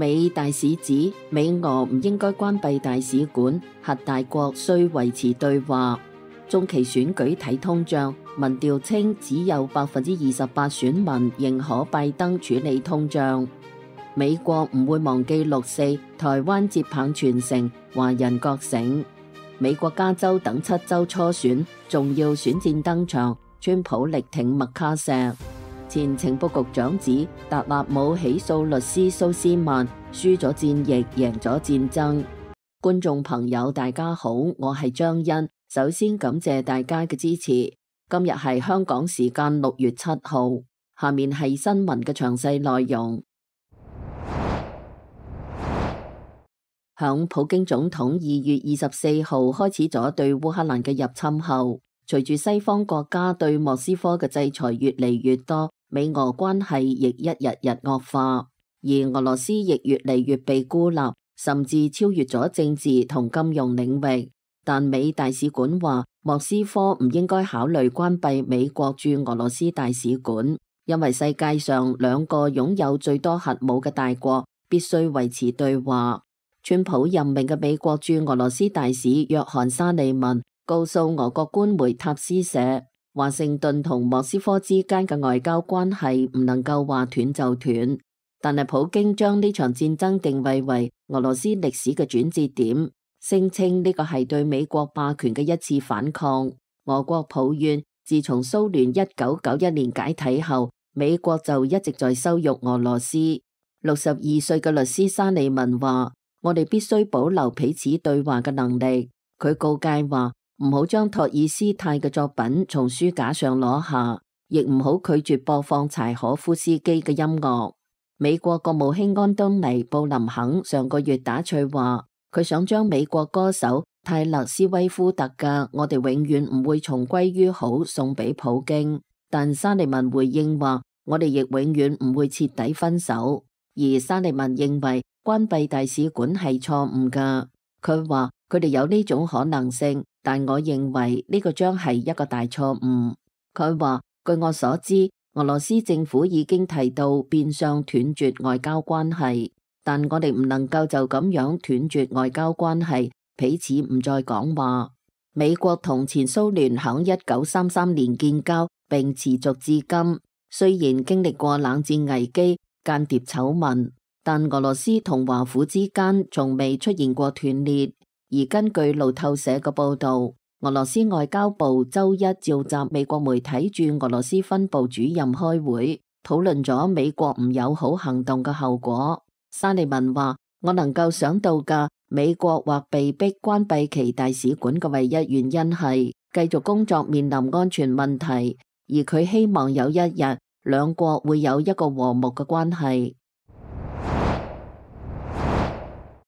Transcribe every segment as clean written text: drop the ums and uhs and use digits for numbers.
美大使指美俄唔應該關閉大使館，核大國需維持對話。中期選舉睇通脹，民調稱只有28%選民認可拜登處理通脹。美國唔會忘記6·4，台灣接棒傳承，華人覺醒。美國加州等7州初選，重要選戰登場，川普力挺麥卡錫。前情報局長指達納姆起訴律師蘇斯曼，輸咗戰役，贏咗戰爭。觀眾朋友大家好，我係張欣，首先感謝大家嘅支持。今日係香港時間6月7號，下面係新聞嘅詳細內容。響普京總統2月24號開始咗對烏克蘭嘅入侵後，隨住西方國家對莫斯科嘅制裁越嚟越多，美俄關係亦一日日惡化，而俄羅斯亦越嚟越被孤立，甚至超越咗政治同金融領域。但美大使館話，莫斯科唔應該考慮關閉美國駐俄羅斯大使館，因為世界上兩個擁有最多核武嘅大國必須維持對話。川普任命嘅美國駐俄羅斯大使約翰沙利文告訴俄國官媒塔斯社，華盛頓同莫斯科之間嘅外交關係唔能夠話斷就斷，但係普京將呢場戰爭定位為俄羅斯歷史嘅轉折點，聲稱呢個係對美國霸權嘅一次反抗。俄國抱怨，自從蘇聯1991年解體後，美國就一直在羞辱俄羅斯。62歲嘅律師沙利文話，我哋必須保留彼此對話嘅能力。佢告誡話，唔好將托爾斯泰嘅作品從書架上攞下，亦唔好拒絕播放柴可夫斯基嘅音樂。美國國務卿安東尼布林肯上個月打趣話，佢想將美國歌手泰勒斯威夫特嘅《我哋永遠唔會重歸於好》送俾普京，但沙利文回應話，我哋亦永遠唔會徹底分手。而沙利文認為關閉大使館係錯誤㗎，佢話佢哋有呢種可能性，但我認為呢個將係一個大錯誤。佢話據我所知，俄羅斯政府已經提到變相斷絕外交關係，但我哋唔能夠就咁樣斷絕外交關係，彼此唔再講話。美國同前蘇聯響1933年建交並持續至今，雖然經歷過冷戰危機、間諜醜聞，但俄羅斯同華府之間從未出現過斷裂。而根據路透社嘅報道，俄羅斯外交部周一召集美國媒體駐俄羅斯分部主任開會，討論咗美國唔友好行動嘅後果。沙利文話，我能夠想到嘅美國或被逼關閉其大使館嘅唯一原因係繼續工作面臨安全問題，而佢希望有一日兩國會有一個和睦嘅關係。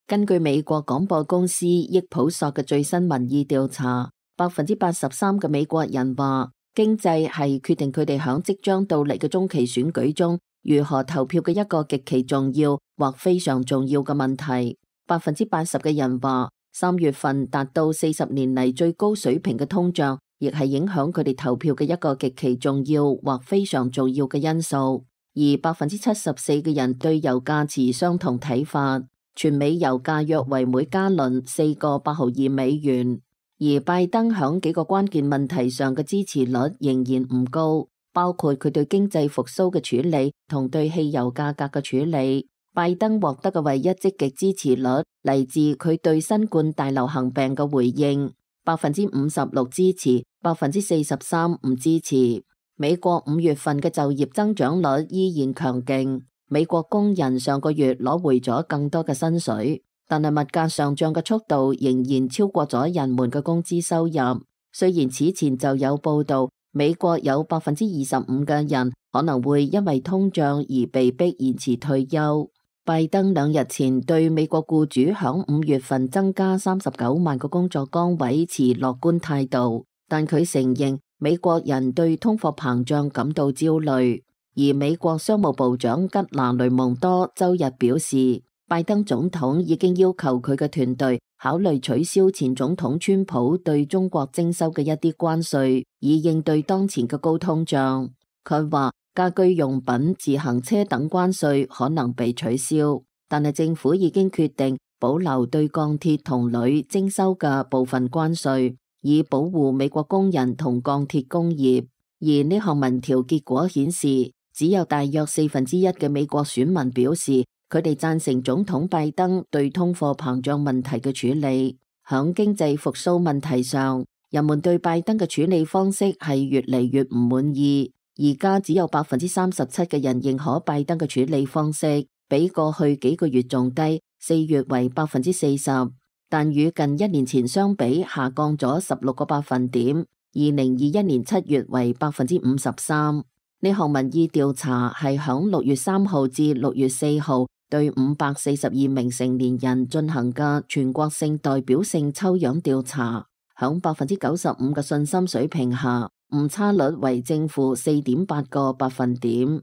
根據美國廣播公司益普索嘅最新民意調查，83%嘅美國人話經濟係決定佢哋響即將到嚟嘅中期選舉中如何投票嘅一個極其重要或非常重要嘅問題。80%嘅人話3月份達到40年嚟最高水平嘅通脹，亦係影響佢哋投票嘅一個極其重要或非常重要嘅因素。而74%嘅人對油價持相同睇法。全美油價約為每加侖4個8毫2美元，而拜登響幾個關鍵問題上嘅支持率仍然唔高，包括佢對經濟復甦嘅處理同對汽油價格嘅處理。拜登獲得嘅唯一積極支持率嚟自佢對新冠大流行病嘅回應，56%支持，43%唔支持。美國5月份嘅就業增長率依然強勁。美國工人上個月攞回咗更多嘅薪水，但係物價上漲嘅速度仍然超過咗人們嘅工資收入。雖然此前就有報道，美國有25%嘅人可能會因為通脹而被逼延遲退休。拜登2日前對美國僱主響5月份增加39萬個工作崗位持樂觀態度，但佢承認美國人對通貨膨脹感到焦慮。而美國商務部長吉拿雷蒙多周日表示，拜登總統已經要求佢嘅團隊考慮取消前總統川普對中國徵收嘅一啲關稅，以應對當前嘅高通脹。佢話家居用品、自行車等關稅可能被取消，但係政府已經決定保留對鋼鐵同鋁徵收嘅部分關稅，以保護美國工人同鋼鐵工業。而呢項民調結果顯示，只有大約1/4嘅美國選民表示佢哋贊成總統拜登對通貨膨脹問題嘅處理。響經濟復甦問題上，人們對拜登嘅處理方式係越嚟越唔滿意。而家只有37%嘅人認可拜登嘅處理方式，比過去幾個月仲低，4月為40%，但與近1年前相比下降咗16個百分點。2021年7月為53%。呢項民意調查係響6月3號至6月4號對542名成年人進行嘅全國性代表性抽樣調查，響95%嘅信心水平下，誤差率為正負4.8個百分點。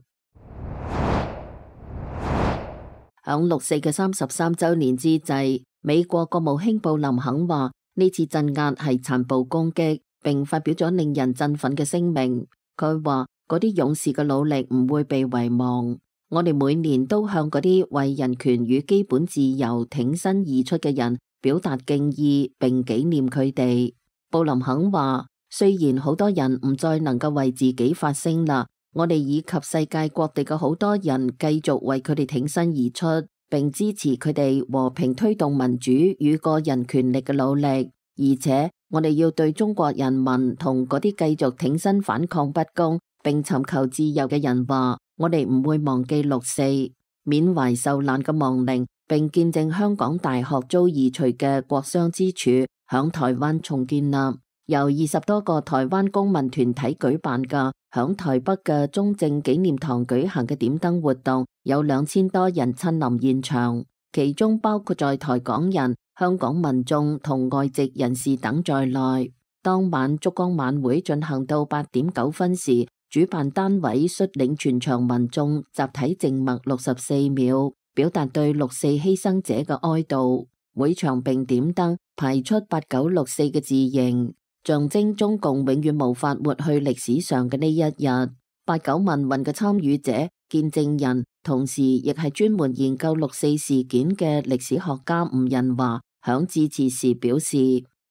響6四嘅33週年之際，美國國務卿布林肯話呢次鎮壓係殘暴攻擊，並發表咗令人振奮嘅聲明。佢話嗰啲勇士嘅努力唔會被遺忘，我哋每年都向嗰啲為人權與基本自由挺身而出嘅人表達敬意並紀念佢哋。布林肯話，雖然好多人唔再能夠為自己發聲啦，我哋以及世界各地嘅好多人繼續為佢哋挺身而出，並支持佢哋和平推動民主與個人權利嘅努力。而且我哋要對中國人民同嗰啲繼續挺身反抗不公並尋求自由嘅人話，我哋唔會忘記6四，緬懷受難嘅亡靈，並見證香港大學遭移除嘅國殤之柱響台灣重建立。由20多個台灣公民團體舉辦嘅響台北嘅中正紀念堂舉行嘅點燈活動，有2000多人親臨現場，其中包括在台港人、香港民眾同外籍人士等在內。當晚燭光晚會進行到8點9分時，主辦單位率領全場民眾集體靜默64秒，表達對6四犧牲者嘅哀悼。會場並點燈，排出8964嘅字形，象徵中共永遠無法抹去歷史上嘅呢一日。89民運嘅參與者、見證人，同時亦係專門研究6四事件嘅歷史學家吳仁華響致辭時表示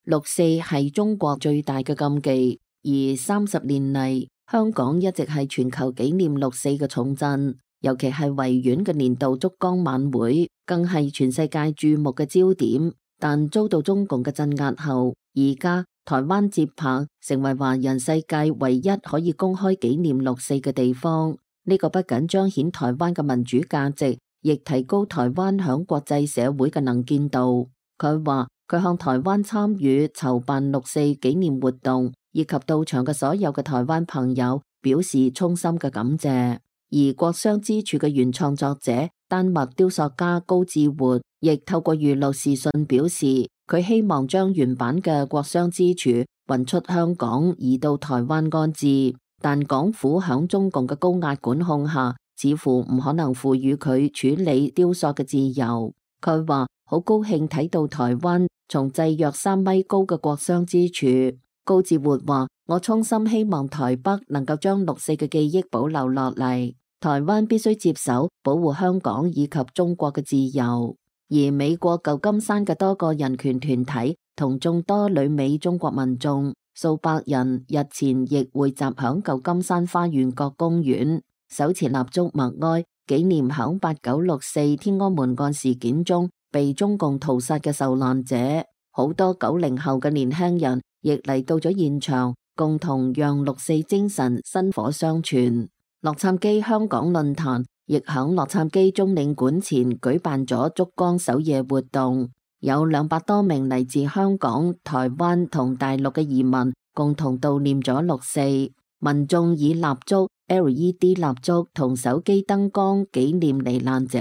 ，6四係中國最大嘅禁忌，而30年嚟，香港一直係全球紀念6四嘅重鎮，尤其係維園嘅年度燭光晚會，更係全世界注目嘅焦點。但遭到中共嘅鎮壓後，而家台灣接棒成為華人世界唯一可以公開紀念6四嘅地方。呢個不僅彰顯台灣嘅民主價值，亦提高台灣響國際社會嘅能見度。佢話佢向台灣參與籌辦6四紀念活動以及到場嘅所有嘅台灣朋友表示衷心嘅感謝。而國殤之柱嘅原創作者丹麥雕塑家高志活亦透過娛樂視訊表示，佢希望將原版嘅國殤之柱運出香港，移到台灣安置，但港府響中共嘅高壓管控下，似乎唔可能賦予佢處理雕塑嘅自由。佢話好高興睇到台灣重製約3米高嘅國殤之柱。高志活話，我衷心希望台北能夠將6四嘅記憶保留落嚟，台灣必須接手保護香港以及中國嘅自由。而美國舊金山嘅多個人權團體同眾多旅美中國民眾數百人日前亦匯集響舊金山花園角公園，手持蠟燭默哀，紀念響8964天安門案事件中被中共屠殺嘅受難者。好多90後嘅年輕人亦嚟到咗現場，共同讓6四精神薪火相傳。洛杉磯香港論壇亦響洛杉磯中領館前舉辦咗燭光守夜活動，有200多名嚟自香港、台灣同大陸嘅移民共同悼念咗6四。民眾以蠟燭、LED 蠟燭同手機燈光紀念罹難者，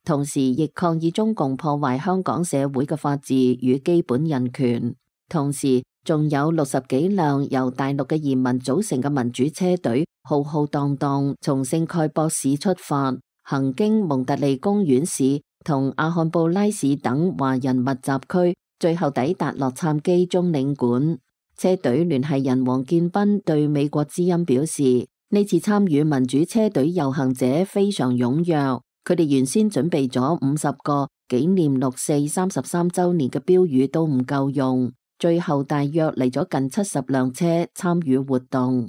同時亦抗議中共破壞香港社會嘅法治與基本人權。同時仲有60幾輛由大陸嘅移民組成嘅民主車隊，浩浩蕩蕩從聖蓋博市出發，行經蒙特利公園市同阿漢布拉市等華人密集區，最後抵達洛杉磯中領館。車隊聯繫人黃建斌對美國之音表示，呢次參與民主車隊遊行者非常踴躍，佢哋原先準備咗50個紀念六四33週年嘅標語都唔夠用，最後大約嚟咗近70輛車參與活動。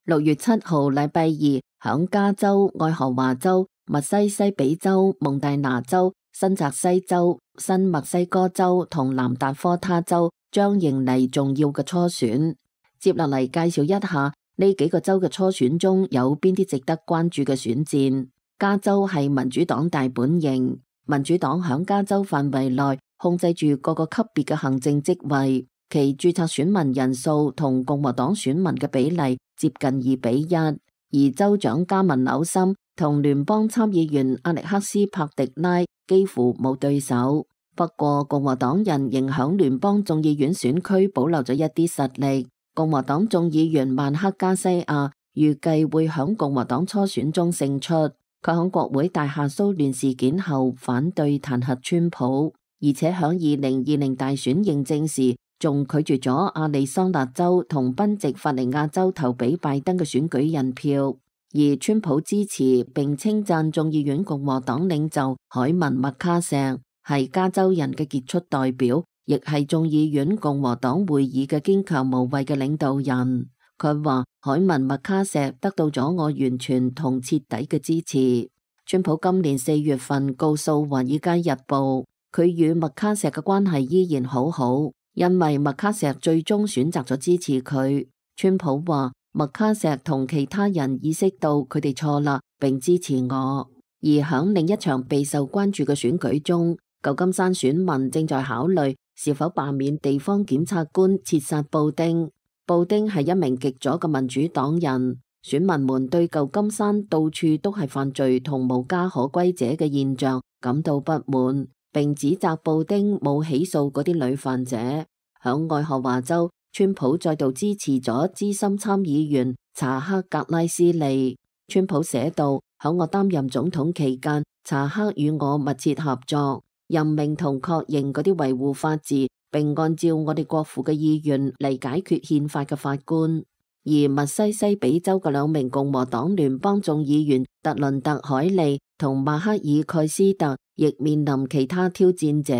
6月7號禮拜二，響加州、愛荷華州、密西西比州、蒙大拿州、新澤西州、新墨西哥州同南達科他州將迎嚟重要嘅初選。接落嚟介紹一下呢幾個州嘅初選中有邊啲值得關注嘅選戰。加州係民主黨大本營，民主黨響加州範圍內控制住各個級別嘅行政職位，其註冊選民人數同共和黨選民嘅比例接近2:1，而州長加文紐森同聯邦參議員阿力克斯帕迪拉幾乎冇對手。不過共和黨人仍響聯邦眾議院選區保留咗一啲實力。共和黨眾議員曼克加西亞預計會響共和黨初選中勝出。佢響國會大廈騷亂事件後反對彈劾川普，而且響2020大選認證時仲拒絕咗亞利桑那州同賓夕法尼亞州投俾拜登嘅選舉人票。而川普支持並稱讚眾議院共和黨領袖海文麥卡錫係加州人嘅傑出代表，亦係眾議院共和黨會議嘅堅強無畏嘅領導人。佢話海文麥卡錫得到咗我完全同徹底嘅支持。川普今年4月份告訴華爾街日報，佢與麥卡錫嘅關係依然好好，因為麥卡錫最終選擇咗支持佢。川普話麥卡錫同其他人意識到佢哋錯啦，並支持我。而響另一場備受關注嘅選舉中，舊金山選民正在考慮是否罷免地方檢察官切薩布丁。布丁係一名極左嘅民主黨人，選民們對舊金山到處都係犯罪同無家可歸者嘅現象感到不滿，並指責布丁冇起訴嗰啲女犯者。響愛荷華州，川普再度支持咗資深參議員查克格拉斯利。川普寫道：響我擔任總統期間，查克與我密切合作，任命同確認嗰啲維護法治並按照我哋國父嘅意願嚟解決憲法嘅法官。而密西西比州嘅2名共和黨聯邦眾議員特倫特海利同馬克爾蓋斯特亦面臨其他挑戰者。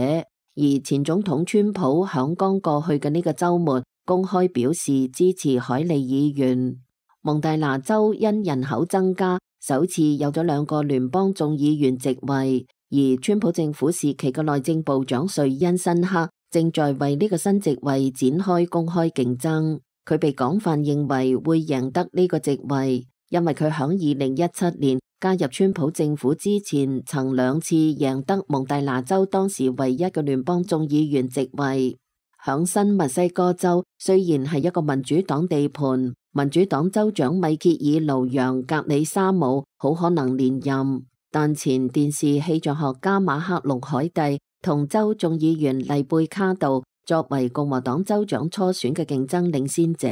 而前總統川普響剛過去嘅呢個週末公開表示支持海利議員。蒙大拿州因人口增加，首次有咗2個聯邦眾議員席位，而川普政府時期嘅內政部長瑞恩辛克正在為呢個新席位展開公開競爭。佢被廣泛認為會贏得呢個席位，因為佢響2017年加入川普政府之前，曾2次贏得蒙大拿州當時唯一嘅聯邦眾議員席位。響新墨西哥州，雖然係一個民主黨地盤，民主黨州長米歇爾盧揚格里沙姆好可能連任，但前電視氣象學家馬克龍海蒂同州眾議員麗貝卡度作為共和黨州長初選嘅競爭領先者，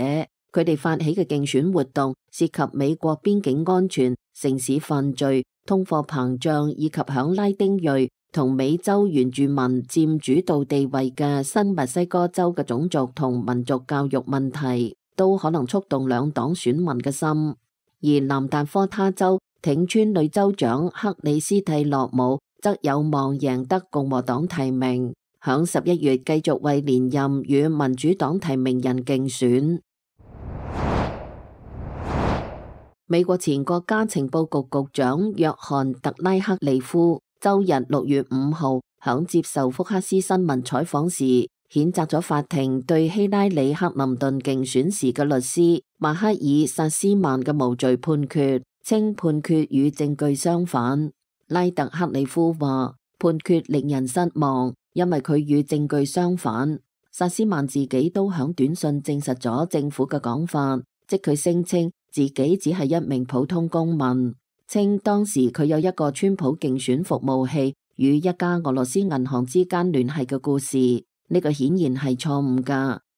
佢哋發起嘅競選活動涉及美國邊境安全、城市犯罪、通貨膨脹以及響拉丁裔同美洲原住民佔主導地位嘅新墨西哥州嘅種族同民族教育問題，都可能觸動兩黨選民嘅心。而南達科他州挺川女州長克里斯蒂洛姆則有望贏得共和黨提名，響11月繼續為連任與民主黨提名人競選。美國前國家情報局局長約翰特拉克利夫周日6月5號響接受福克斯新聞採訪時，譴責咗法庭對希拉里克林頓競選時嘅律師馬克爾薩斯曼嘅無罪判決，稱判決與證據相反。拉特克里夫話判決令人失望，因為佢與證據相反。薩斯曼自己都響短信證實咗政府嘅講法，即佢聲稱自己只係一名普通公民，稱當時佢有一個川普競選服務器與一家俄羅斯銀行之間聯繫嘅故事，呢個顯然係錯誤㗎，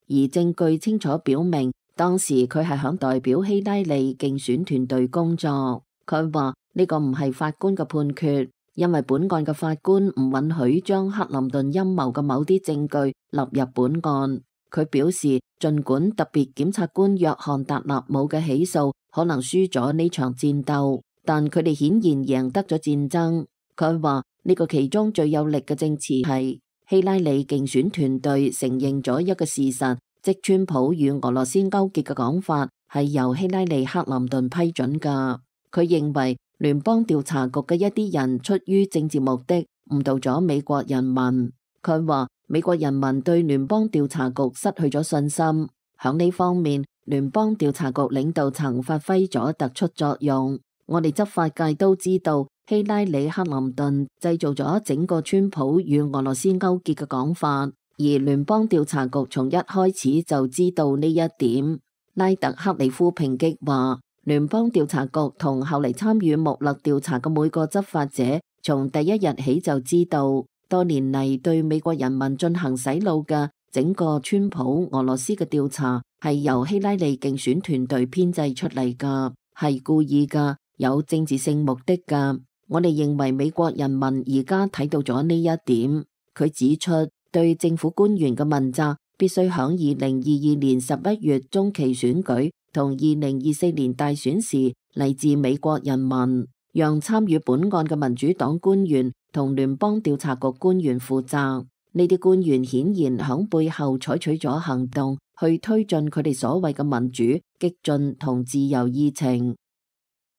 而證據清楚表明當時佢係響代表希拉里競選團隊工作。佢話呢個唔係法官嘅判決，因為本案嘅法官唔允許將克林頓陰謀嘅某啲證據納入本案。佢表示，儘管特別檢察官約翰達納姆嘅起訴可能輸咗呢場戰鬥，但佢哋顯然贏得咗戰爭。佢話呢個其中最有力嘅證詞係希拉里競選團隊承認咗一個事實，即川普與俄羅斯勾結嘅講法係由希拉里克林頓批准㗎。佢認為聯邦調查局嘅一啲人出於政治目的誤導咗美國人民。佢話美國人民對聯邦調查局失去咗信心，響呢方面聯邦調查局領導層發揮咗突出作用。我哋執法界都知道希拉里克林頓製造咗整個川普與俄羅斯勾結嘅講法，而聯邦調查局從一開始就知道呢一點。拉特克里夫抨擊話，聯邦調查局同後嚟參與穆勒調查嘅每個執法者，從第一日起就知道，多年嚟對美國人民進行洗腦嘅整個川普俄羅斯嘅調查係由希拉里競選團隊編製出嚟㗎，係故意㗎，有政治性目的㗎。我哋認為美國人民而家睇到咗呢一點。佢指出，對政府官員嘅問責必須響2022年11月中期選舉同2024年大選時嚟自美國人民，讓參與本案嘅民主黨官員同聯邦調查局官員負責。呢啲官員顯然響背後採取咗行動，去推進佢哋所謂嘅民主、激進同自由議程。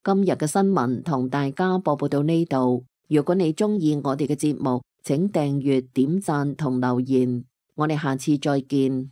今日嘅新聞同大家播報到呢度。如果你鍾意我哋嘅節目，請訂閱、點讚同留言。我哋下次再見。